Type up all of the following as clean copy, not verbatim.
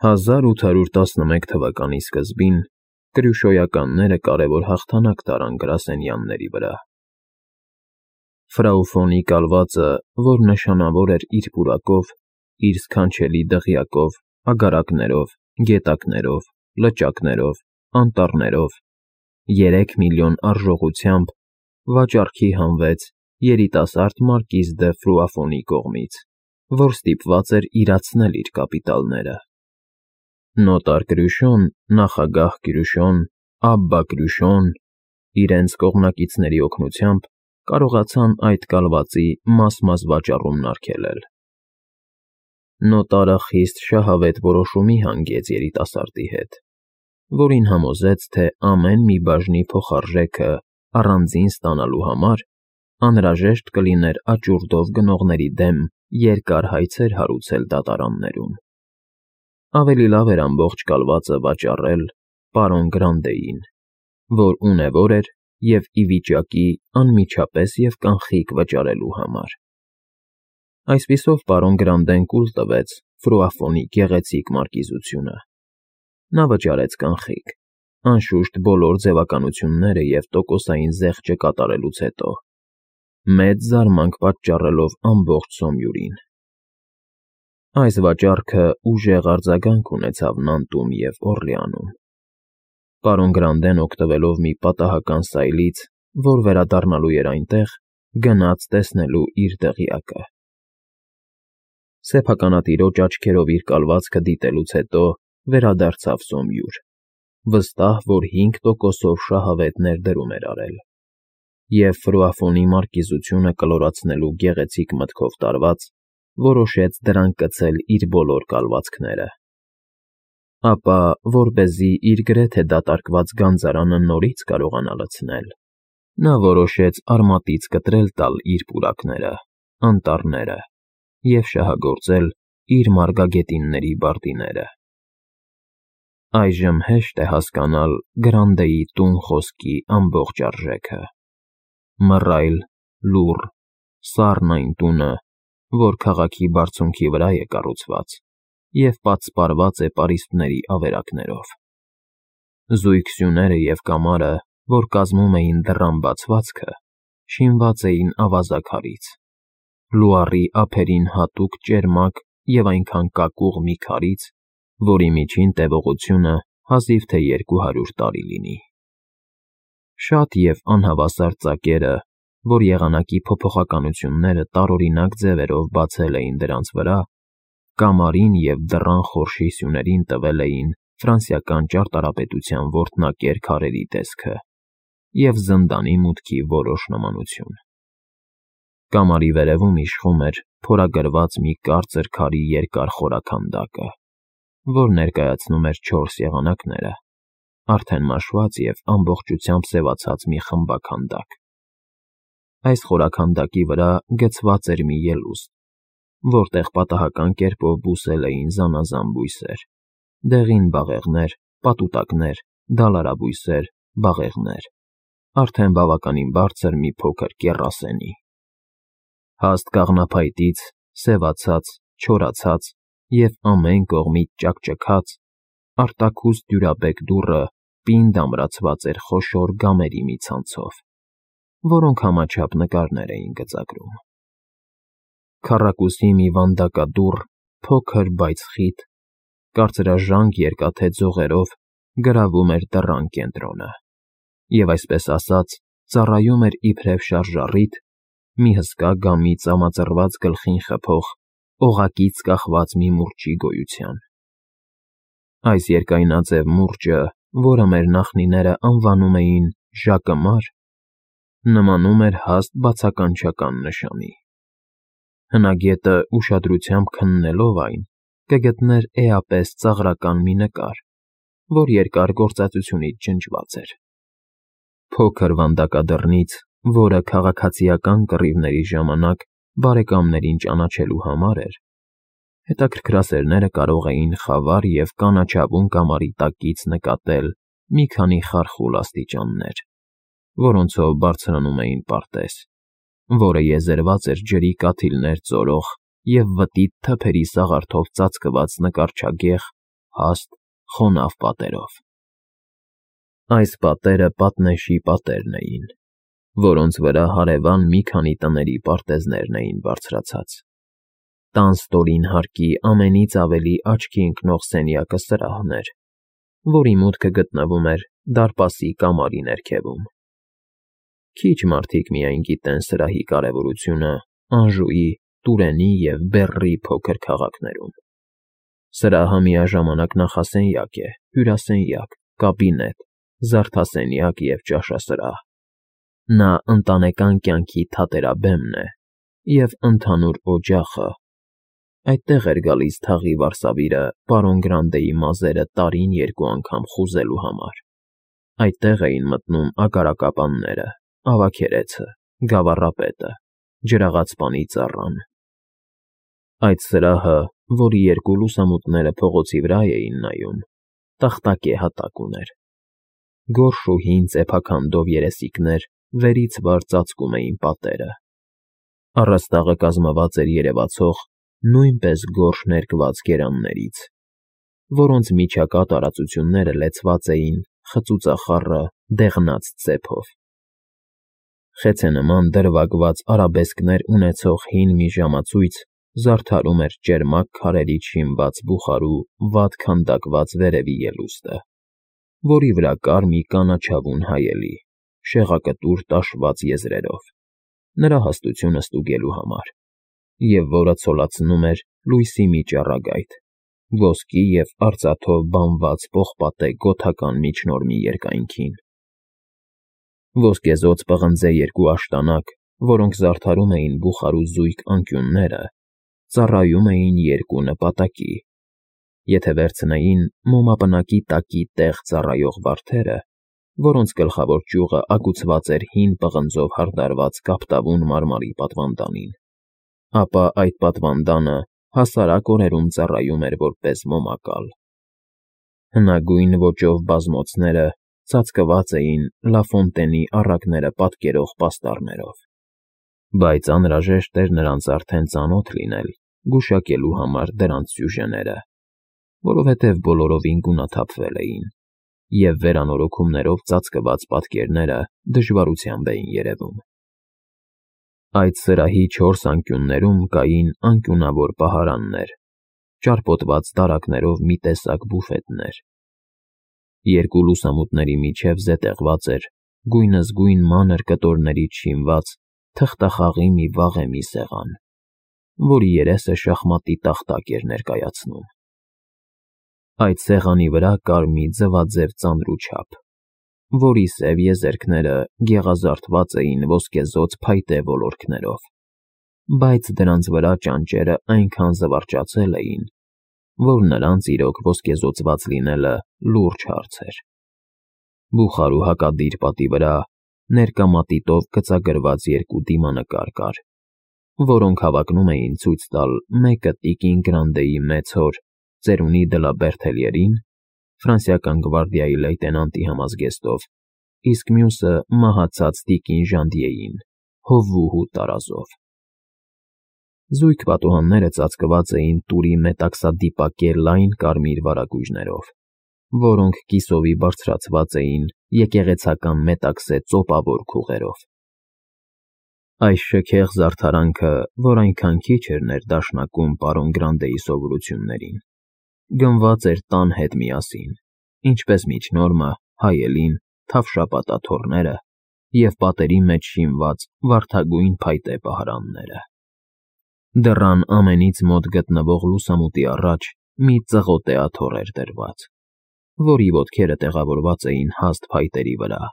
1811 թվականի սկզբին կրյուշոյականները կարևոր հաղթանակ տարան գրասենյանների վրա։ Ֆրաու Ֆոնի կալվածը, որ նշանավոր էր իր պուրակով, իր սքանչելի դղյակով, ագարակներով, գետակներով, լճակներով, անտառներով, 3 միլիոն արժողությամբ, վաճառքի հանվեց երիտասարդ մարկիզ դը Ֆրուաֆոնի կողմից, որ ստիպված էր իրացնել իր կապիտալները։ Նոտար Կրյուշոն, նախագահ Կրյուշոն, Աբբա Կրյուշոն իրենց կողմնակիցների օգնությամբ կարողացան այդ կալվածի մաս-մաս վաճառումն արգելել։ Նոտարը խիստ շահավետ որոշումի հանգեց երիտասարդի հետ, որին համոզեց, թե ամեն մի բաժնի փոխարժեքը առանձին ստանալու համար անհրաժեշտ կլիներ աճուրդով գնողների դեմ երկար հայցեր հարուցել դատարաններում։ Ավելի լավ էր ամբողջ կալվածը վաճառել պարոն Գրանդեին, որ ունևոր էր և ի վիճակի անմիջապես և կանխիկ վճարելու համար։ Այսպիսով պարոն Գրանդեն կուլ տվեց Ֆրուաֆոնի գեղեցիկ մարկիզությունը։ Նա վճարեց կանխիկ, անշուշտ բոլոր ձևականությունները և տոկոսային զեղչը կատարելուց հետո, մեծ զարմանք պատճառելով ամբողջ Սոմյուրին։ Այս վաճառքը ուժեղ արձագանք ունեցավ Նանտում և Օռլեանում։ Պարոն Գրանդեն, օգտվելով մի պատահական սայլից, որ վերադառնալու էր այնտեղ, գնաց տեսնելու իր դղյակը։ Սեփականատիրոջ աչքերով իր կալվածքը դիտելուց հետո վերադարձավ Սոմյուր, վստահ, որ 5%-ով շահավետ ներդրում էր արել, և Ֆրուաֆոնի մարկիզությունը կլորացնելու գեղեցիկ մտքով տարված, որոշեց դրանք կցել իր բոլոր կալվածքները։ Ապա, որպեսզի իր գրեթե դատարկված գանձարանը նորից կարողանա լցնել, նա որոշեց արմատից կտրել տալ իր պուրակները, անտառները և շահագործել իր մարգագետինների բարտիները։ Այժմ հեշտ է հասկանալ Գրանդեի տուն խոսքի ամբողջ արժեքը։ Մռայլ, լուռ, սառն այն տունը, որ քաղաքի բարձունքի վրա է կառուցված և պատսպարված է պարիսպների ավերակներով։ Զույգ սյուները և կամարը, որ կազմում էին դռան բացվածքը, շինված էին ավազաքարից, լուառի ափերին հատուկ ճերմակ և այնքան կակուղ մի քարից, որի միջին տևողությունը հազիվ թե 200 տարի լինի։ Շատ և անհավասար ծակերը, որ եղանակի փոփոխականությունները տարօրինակ ձևերով բացել էին դրանց վրա, կամարին և դռան խորշի սյուներին տվել էին ֆրանսիական ճարտարապետության որտնակեր քարերի տեսքը և զնդանի մուտքի որոշ նմանություն։ Կամարի վերևում իշխում էր փորագրված մի կարծր քարի երկար խորաքանդակը, որ ներկայացնում էր 4 եղանակները, արդեն մաշված և ամբողջությամբ սևացած մի խմբաքանդակ։ Այս խորաքանդակի վրա գցված էր մի ելուստ, որտեղ պատահական կերպով բուսել էին զանազան բույսեր, դեղին բաղեղներ, պատուտակներ, դալարաբույսեր, բաղեղներ, արդեն բավականին բարձր մի փոքր կեռասենի։ Հաստ կաղնափայտից սևացած, չորացած և ամեն կողմից ճաքճքած, արտաքուստ դյուրաբեկ դուռը պինդ ամրացված էր խոշոր գամերի մի ցանցով, որոնք համաչափ նկարներ էին գծագրում։ Քառակուսի մի վանդակադուռ, փոքր, բայց խիտ, կարծրաժանկ երկաթե ձողերով գրավում էր դռան կենտրոնը և, այսպես ասած, ծառայում էր իբրև շարժառիթ մի հսկա գամի ծամածռված գլխին խփող, օղակից կախված մի մուրճի գոյության։ Այս երկայնաձև մուրճը, որը մեր նախնիները անվանում էին ժակըմար, նմանում էր հաստ բացականչական նշանի։ Հնագետը ուշադրությամբ քննելով այն, կգտներ էապես ծաղրական մի նկար, որ երկար գործածությունից ջնջված էր։ Փոքր վանդակադռնից, որը քաղաքացիական կռիվների ժամանակ բարեկամներին ճանաչելու համար էր, հետաքրքրասերները կարող էին խավար և կանաչավուն կամարի տակից նկատել մի քանի խարխուլ աստիճաններ, որոնցով բարձրանում էին պարտեզ, որը եզերված էր ջրի կաթիլներ ծորող և վտիտ թփերի սաղարթով ծածկված նկարչագեղ, հաստ, խոնավ պատերով։ Այս պատերը պատնեշի պատերն էին, որոնց վրա հարևան մի քանի տների պարտեզներն էին բարձրացած։ Տան ստորին հարկի ամենից ավելի աչքի ընկնող սենյակը սրահն էր, որի մուտքը գտնվում էր դարպասի կամարի ներքևում։ Քիչ մարդիկ միայն գիտեն սրահի կարևորությունը Անժուի, Տուրենի և Բեռի փոքր քաղաքներում։ Սրահը միաժամանակ նախասենյակ է, հյուրասենյակ, կաբինետ, զարդասենյակ և ճաշասրահ։ Նա ընտանեկան կյանքի թատերաբեմն է և ընդհանուր օջախը։ Այդտեղ էր գալիս թաղի վարսավիրը պարոն Գրանդեի մազերը տարին 2 անգամ խուզելու համար։ Այդտեղ էին մտնում ագարակապանները, ավագերեցը, գավառապետը, ջրաղացպանի ծառան։ Այդ սրահը, որի 2 լուսամուտները փողոցի վրա էին նայում, տախտակե հատակ ուներ։ Գորշ ու հին ծեփաքանդով երեսիկներ վերից վար ծածկում էին պատերը։ Առաստաղը կազմված էր երևացող, նույնպես գորշ ներկված գերաններից, որոնց միջակա տարածությունները լեցված էին խծուծախառը դեղնած ծեփով։ Խեցենման դրվագված արաբեսկներ ունեցող հին մի ժամացույց զարդարում էր ճերմակ քարերից շինված բուխարու վատ քանդակված վերևի ելուստը, որի վրա կար մի կանաչավուն հայելի, շեղակտուր տաշված եզրերով, նրա հաստությունը ստուգելու համար, և որը ցոլացնում էր լույսի մի ճառագայթ, ոսկի և արծաթով բանված պողպատե գոթական միջնորմի երկայնքին։ Ոսկեզօծ պղնձե 2 աշտանակ, որոնք զարդարում էին բուխարու զույգ անկյունները, ծառայում էին 2 նպատակի։ Եթե վերցնեին մոմապնակի տակի տեղ ծառայող վարդերը, որոնց գլխավոր ճյուղը ագուցված էր հին պղնձով հարդարված կապտավուն մարմարի պատվանդանին, ապա այդ պատվանդանը հասարակ օրերում ծառայում էր որպես մոմակալ։ Հնագույն ոճով բազմոցները ծածկված էին Լաֆոնտենի առակները պատկերող պաստառներով, բայց անհրաժեշտ էր նրանց արդեն ծանոթ լինել գուշակելու համար դրանց սյուժեները, որովհետև բոլորովին գունաթափվել էին, և վերանորոգումներով ծածկված պատկերները դժվարությամբ էին երևում։ Այդ սրահի 4 անկյուններում կային անկյունավոր պահարաններ, ճարպոտված դարակներով մի տեսակ բուֆետներ։ 2 լուսամուտների միջև զետեղված էր գույնզգույն մանր կտորներից շինված թղթախաղի մի վաղեմի սեղան, որի երեսը շախմատի տախտակ էր ներկայացնում։ Այդ սեղանի վրա կար մի ձվաձև ծանրուչափ, որի սև եզերքները գեղազարդված էին ոսկեզօծ փայտե ոլորքներով, բայց դրանց վրա ճանճերը այնքան զվարճացել էին, որ նրանց իրոք ոսկեզօծված լինելը լուրջ հարց էր։ Բուխարու հակադիր պատի վրա ներկա մատիտով գծագրված 2 դիմանկար կար, որոնք հավակնում էին ցույց տալ մեկը տիկին Գրանդեի մեծ հոր ծերունի Դլաբերթելիերին, ֆրանսիական գվարդիայի լեյտենանտի համազգեստով, իսկ մյուսը մահացած տիկին Ժանդիեին, հովվուհու տարազով։ Զույգ պատուհանները ծածկված էին տուրի մետաքսադիպակե լայն կարմիր վարագույրներով, որոնք կիսովի բարձրացված էին եկեղեցական մետաքսե ծոպավոր քուղերով։ Այս շքեղ զարդարանքը, որ այնքան քիչ էր ներդաշնակում պարոն Գրանդեի սովորություններին, գնված էր տան հետ միասին, ինչպես միջնորմը, հայելին, թավշապատաթոռները և պատերի մեջ շինված վարդագույն փայտե պահարանները։ Դռան ամենից մոտ գտնվող լուսամուտի առաջ մի ծղոտեաթոռ էր դրված, որի ոտքերը տեղավորված էին հաստ փայտերի վրա,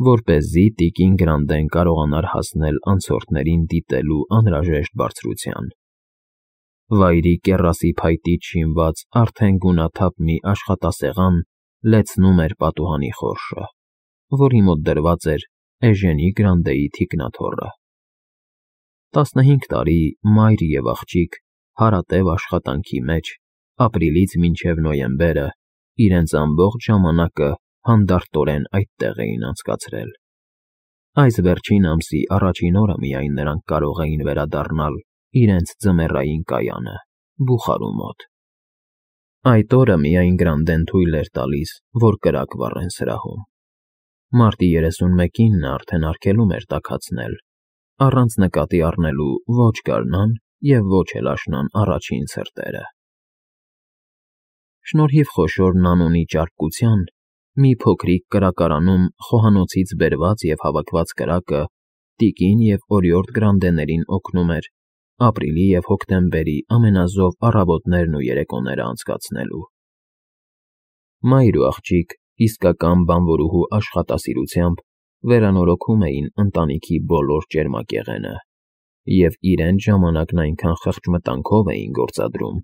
որպեսզի տիկին Գրանդեն կարողանար հասնել անցորդներին դիտելու անհրաժեշտ բարձրության։ Վայրի կեռասի փայտից շինված արդեն գունաթափ մի աշխատասեղան լեցնում էր պատուհանի խորշը, որի մոտ դրված էր Էժենի Գրանդեի թիկնաթոռը։ 15 տարի մայր և աղջիկ հարատև աշխատանքի մեջ ապրիլից մինչև նոյեմբերը իրենց ամբողջ ժամանակը հանդարտորեն այդտեղ էին անցկացրել։ Այս վերջին ամսի առաջին օրը միայն նրանք կարող էին վերադառնալ իրենց ձմեռային կայանը՝ Բուխարու մոտ։ Այդ օրը միայն Գրանդեն թույլ էր տալիս, որ կրակ վառեն սրահում։ Մարտի 31-ին նա արդեն արգելում էր տաքացնել, առանց նկատի առնելու ոչ գարնան և ոչ էլ աշնան առաջին ցրտերը։ Շնորհիվ խոշոր Նանոնի ճարպկության, մի փոքրիկ կրակարանում խոհանոցից բերված և հավաքված կրակը տիկին և օրիորդ Գրանդեներին օգնում էր ապրիլի և հոկտեմբերի ամենազով առավոտներն ու երեկոները անցկացնելու։ Մայր ու աղջիկ իսկական բանվորուհու աշխատասիրությամբ վերանորոգում էին ընտանիքի բոլոր ճերմակեղենը և իրենց ժամանակն այնքան խղճմտանքով էին գործադրում,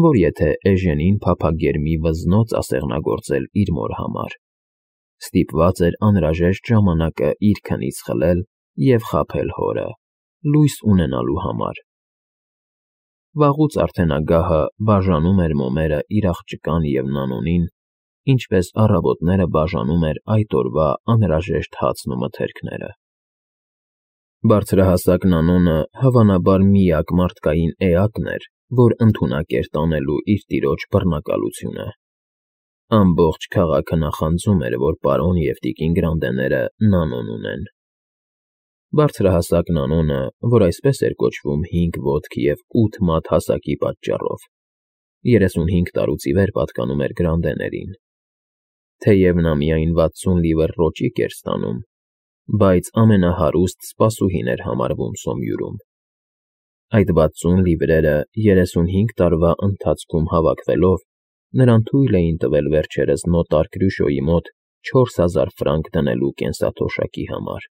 որ եթե Էժենին փափագեր մի վզնոց ասեղնագործել իր մոր համար, ստիպված էր անհրաժեշտ ժամանակը իր քնից խլել և խաբել հորը, լույս ունենալու համար։ Վաղուց արդեն ագահը բաժանում էր մոմերը իր աղջկան և Նանոնին, ինչպես առավոտները բաժանում էր այդ օրվա անհրաժեշտ հացն ու մթերքները։ Բարձրահասակ Նանոնը հավանաբար միակ մարդկային էակն էր, որ ընդունակ էր տանելու իր տիրոջ բռնակալությունը։ Ամբողջ քաղաքը նախանձում էր, որ պարոն և տիկին Գրանդեները Նանոն ունեն։ Բարձրահասակ Նանոնը, որ այսպես էր կոչվում 5 ոտք և 8 մատ հասակի պատճառով, 35 տարուց ի վեր պատկանում էր Գրանդեներին։ Թեև նա միայն 60 լիվր ռոճիկ էր ստանում, բայց ամենահարուստ սպասուհին էր համարվում Սոմյուրում։ Այդ 60 լիվրերը 35 տարվա ընթացքում հավաքվելով նրան թույլ էին տվել վերջերս նոտար Կրյուշոյի մոտ 4000 ֆրանկ դնելու կենսաթոշակի համար։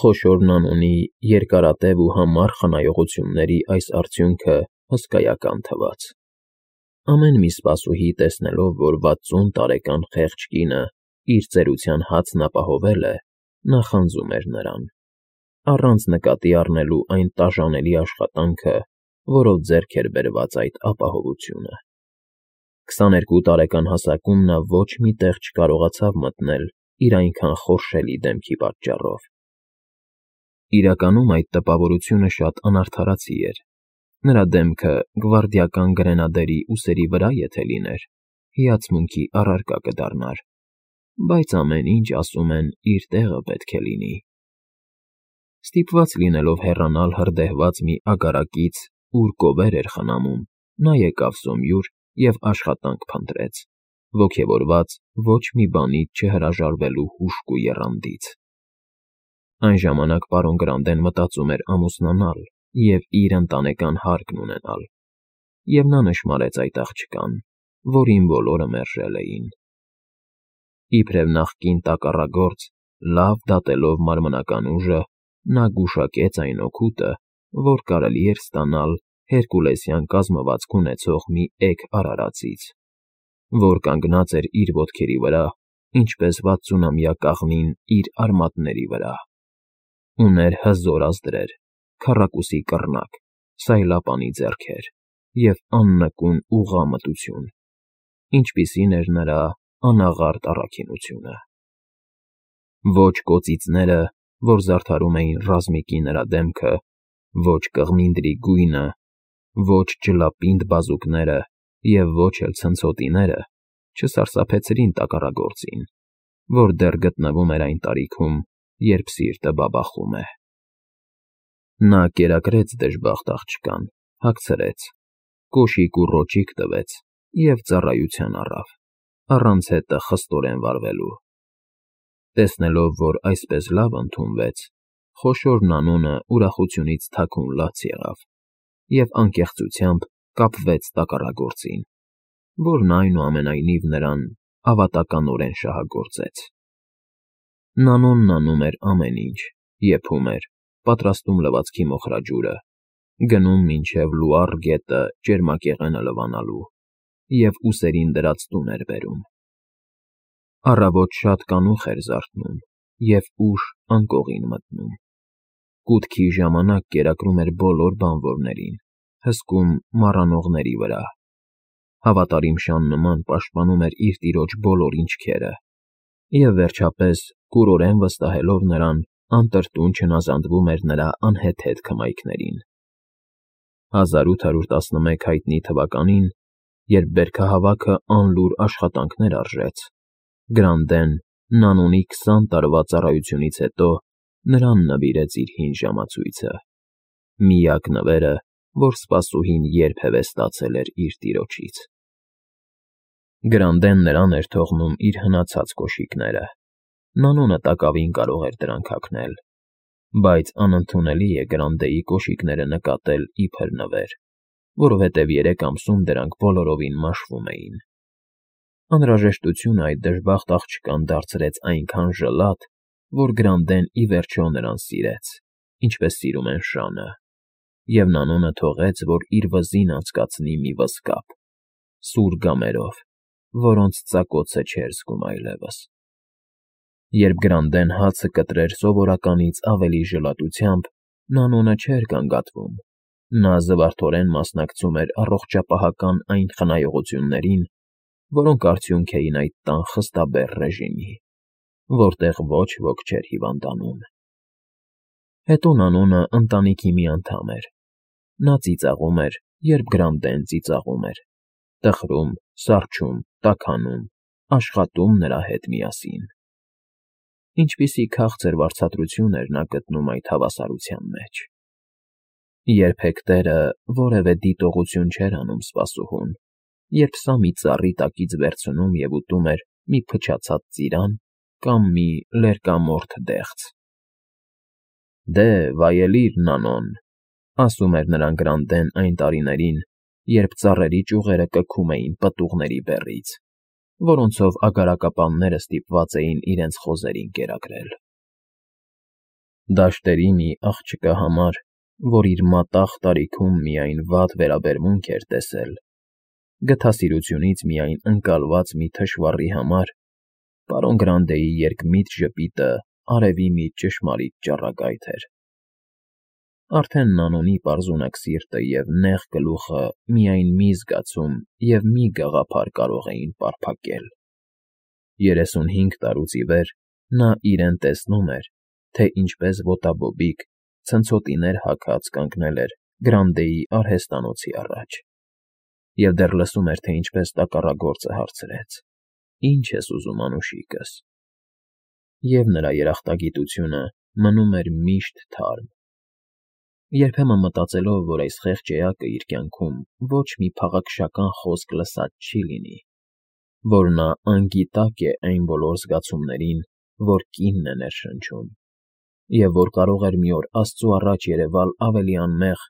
Խոշոր Նանոնի երկարատև ու համառ խնայողությունների այս արդյունքը հսկայական թվաց։ Ամեն մի սպասուհի տեսնելով, որ 60 տարեկան խեղճ կինը իր ծերության հացն ապահովել է, նախանձում էր նրան, առանց նկատի առնելու այն տաժանելի աշխատանքը, որով ձեռք էր բերված այդ ապահովությունը։ 22 տարեկան հասակում նա ոչ մի տեղ չկարողացավ մտնել իր այնքան խորշելի դեմքի պատճառով։ Իրականում այդ տպավորությունը շատ անարդարացի էր։ Նրա դեմքը գվարդիական գրենադերի ուսերի վրա եթե լիներ, հիացմունքի առարկա կդառնար, բայց ամեն ինչ, ասում են, իր տեղը պետք է լինի։ Ստիպված լինելով հեռանալ հրդեհված մի ագարակից, ուր կովեր էր խնամում, նա եկավ Սոմյուր և աշխատանք փնտրեց, ոգևորված ոչ մի բանից չհրաժարվելու հուժկ ու եռանդից։ Այն ժամանակ պարոն Գրանդեն մտածում էր ամուսնանալ և իր ընտանեկան հարկն ունենալ, և նա նշմարեց այդ աղջկան, որին բոլորը մերժել էին։ Իբրև նախկին տակառագործ, լավ դատելով մարմնական ուժը, նա գուշակեց այն օգուտը, որ կարելի էր ստանալ հերկուլեսյան կազմվածք ունեցող մի էգ արարածից, որ կանգնած էր իր ոտքերի վրա, ինչպես 60-ամյա կաղնին իր արմատների վրա։ Ուներ հզոր ազդրեր, քառակուսի կռնակ, սայլապանի ձեռքեր և աննկուն ուղղա մտություն, ինչպիսին էր նրա անաղարտ առաքինությունը։ Ոչ կոծիծները, որ զարդարում էին ռազմիկի նրա դեմքը, ոչ կղմինդրի գույնը, ոչ ջլապինդ բազուկները և ոչ էլ ցնցոտիները չսարսափեցրին տակառագործին, որ դեռ գտնվում էր այն տարիքում, երբ սիրտը բաբախում է։ Նա կերակրեց դժբախտ աղջկան, հագցրեց, կոշիկ ու ռոճիկ տվեց և ծառայության առավ, առանց հետը խստորեն վարվելու։ Տեսնելով, որ այսպես լավ ընդունվեց, խոշոր Նանոնը ուրախությունից թաքուն լաց եղավ և անկեղծությամբ կապվեց տակառագործին, որն այնուամենայնիվ նրան ավատականորեն շահագործեց։ Նանոնն անում էր ամեն ինչ, եփում էր, պատրաստում լվացքի մոխրաջուրը, գնում մինչև Լուար գետը ճերմակեղենը լվանալու և ուսերին դրած տուն էր բերում։ Առավոտ շատ կանուխ էր զարթնում և ուշ անկողին մտնում։ Կուտքի ժամանակ կերակրում էր բոլոր բանվորներին, հսկում մառանողների վրա։ Հավատարիմ շան նման պաշտպանում էր իր տիրոջ բոլոր ինչքերը և, վերջապես, կուրորեն վստահելով նրան, անտրտուն չնազանդվում էր նրա անհեթեթ քմայքներին։ 1811 հայտնի թվականին, Երբ բերքահավաքը անլուր աշխատանքներ արժեց, Գրանդեն Նանոնի 20 տարվա ծառայությունից հետո նրան նվիրեց իր հին ժամացույցը, միակ նվերը, որ սպասուհին երբևէ ստացել էր իր տիրոջից։ Գրանդեն նրան էր թողնում իր հնացած կոշիկները, Նանոնը տակավին կարող էր դրանք հագնել, բայց անընդունելի է Գրանդեի կոշիկները նկատել իբր նվեր, որովհետև 3 ամսում դրանք բոլորովին մաշվում էին։ Անհրաժեշտությունը այդ դժբախտ աղջկան դարձրեց այնքան ժլատ, որ Գրանդեն ի վերջո նրան սիրեց, ինչպես սիրում են շանը, և Նանոնը թողեց, որ իր վզին անցկացնի մի վզկապ, սուր գամերով, որոնց ծակոցը չէր զգում այլևս։ Երբ Գրանդեն հացը կտրեր սովորականից ավելի ժլատությամբ, Նանոնը չէր գանգատվում, նա զվարթորեն մասնակցում էր առողջապահական այն խնայողություններին, որոնք արդյունք էին այդ տան խստաբեռ ռեժիմի, որտեղ ոչ ոք չէր հիվանդանում։ Հետո Նանոնը ընտանիքի մի անդամ էր, նա ծիծաղում էր, երբ Գրանդեն ծիծաղում էր, տխրում, սառչում, տաքանում, աշխատում նրա հետ միասին։ Ինչպիսի քաղցր վարձատրություն էր նա գտնում այդ հավասարության մեջ։ Երբեք տերը որևէ դիտողություն չէր անում սպասուհուն, երբ սա մի ծառի տակից վերցնում և ուտում էր մի փչացած ծիրան կամ մի լերկամորթ դեղց։ «Դե, վայելիր, Նանոն», ասում էր նրան Գրանդեն այն տարիներին, երբ ծառերի ճյուղերը կգում էին պտուղների բեռից, որոնցով ագարակապանները ստիպված էին իրենց խոզերին կերակրել։ Դաշտերի մի աղջկա համար, որ իր մատաղ տարիքում միայն վատ վերաբերմունք էր տեսել, գթասիրությունից միայն ընկալված մի թշվառի համար, պարոն Գրանդեի երկմիտ ժպիտը արևի մի ճշմարիտ ճառագայթ էր։ Արդեն Նանոնի պարզունակ սիրտը և նեղ գլուխը միայն մի զգացում և մի գաղափար կարող էին պարփակել։ 35 տարուց ի վեր նա իրեն տեսնում էր, թե ինչպես ոտաբոբիկ, ցնցոտիներ հագած կանգնել էր Գրանդեի արհեստանոցի առաջ, և դեռ լսում էր, թե ինչպես տակառագործը հարցրեց. «Ինչ ես ուզում, անուշիկս»։ Եվ նրա երախտագիտությունը մնում էր միշտ թարմ։ Երբեմն մտածելով, որ այս խեղճ էակը իր կյանքում ոչ մի փաղաքշական խոսք լսած չի լինի, որ նա անգիտակ է այն բոլոր զգացումներին, որ կինն է ներշնչում, և որ կարող էր մի օր Աստծու առաջ երևալ ավելի անմեղ,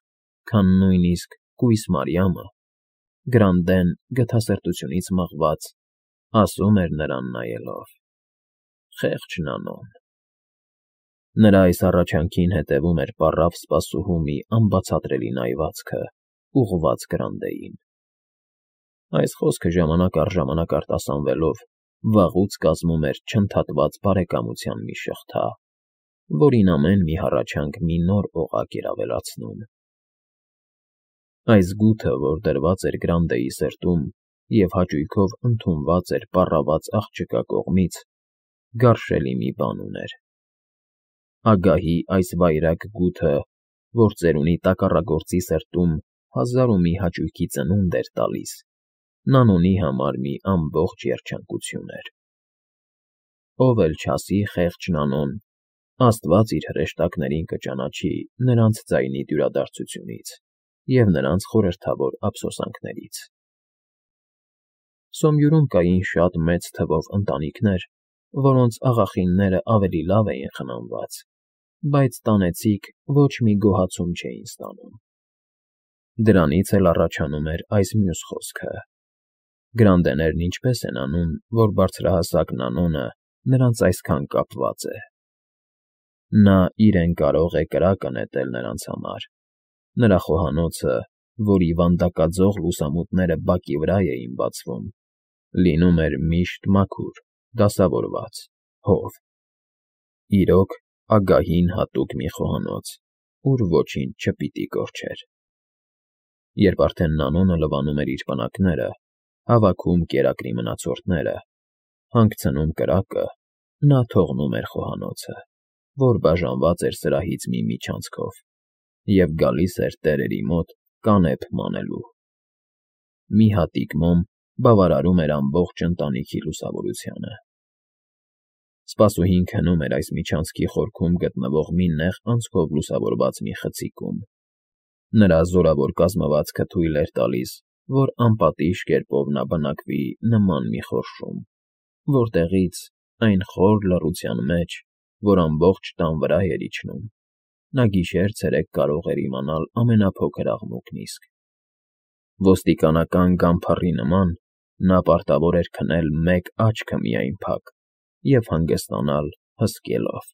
քան նույնիսկ կույս Մարիամը, Գրանդեն գթասրտությունից մղված, ասում էր նրան նայելով. «Խեղճ Նանոն»։ Նրա այս առաջանքին հետևում էր պառավ սպասուհու մի անբացատրելի նայվածքը, ուղղված Գրանդեին։ Այս խոսքը ժամանակ առ ժամանակ արտասանվելով վաղուց կազմում էր չընդհատված բարեկամության մի շղթա, որին ամեն մի հառաչանք մի նոր օղակ էր ավելացնում։ Այս գութը, որ դրված էր Գրանդեի սրտում և հաճույքով ընդունված էր պառաված աղջկա կողմից, գարշելի մի բան ուներ։ Ագահի այս վայրագ գութը, որ ծերունի տակառագործի սրտում հազար ու մի հաճույքի ծնունդ էր տալիս, Նանոնի համար մի ամբողջ երջանկություն էր։ Ով էլ չասի խեղճ Նանոն, Աստված իր հրեշտակներին կճանաչի նրանց ձայնի դյուրադարձությունից և նրանց խորհրդավոր ափսոսանքներից։ Սոմյուրում կային շատ մեծ թվով ընտանիքներ, որոնց աղախինները ավելի լավ էին խնամված, բայց տանեցիք ոչ մի գոհացում չէին ստանում։ Դրանից էլ առաջանում էր այս մյուս խոսքը. Գրանդեներն ինչպես են անում, որ բարձրահասակ Նանոնը նրանց այսքան կապված է։ Նա իրեն կարող է կրակը նետել նրանց համար։ Նրա խոհանոցը, որի վանդակաձող լուսամուտները բակի վրա էին բացվում, լինում էր միշտ մաքուր, դասավորված, հով։ Իրոք, ագահին հատուկ մի խոհանոց, ուր ոչինչ չպիտի կորչեր։ Երբ արդեն Նանոնը լվանում էր իր պնակները, հավաքում կերակրի մնացորդները, հանգցնում կրակը, նա թողնում էր խոհանոցը, որ բաժանված էր սրահից մի միջանցքով, և գալիս էր տերերի մոտ կանեփ մանելու։ մի հատիկ մոմ բավարարում էր ամբողջ ընտանիքի լուսավորությանը։ Սպասուհին քնում էր այս միջանցքի խորքում գտնվող մի նեղ անցքով լուսավորված մի խցիկում։ Նրա զորավոր կազմվածքը թույլ էր տալիս, որ անպատիժ կերպով նա բնակվի նման մի խորշում, որտեղից, այն խոր լռության մեջ, որ ամբողջ տան վրա էր իջնում, նա գիշեր֊ցերեկ կարող էր իմանալ ամենափոքր աղմուկն իսկ։ Ոստիկանական գանփառի նման նա պարտավոր էր քնել մեկ աչքը միայն փակ և հանգստանալ հսկելով։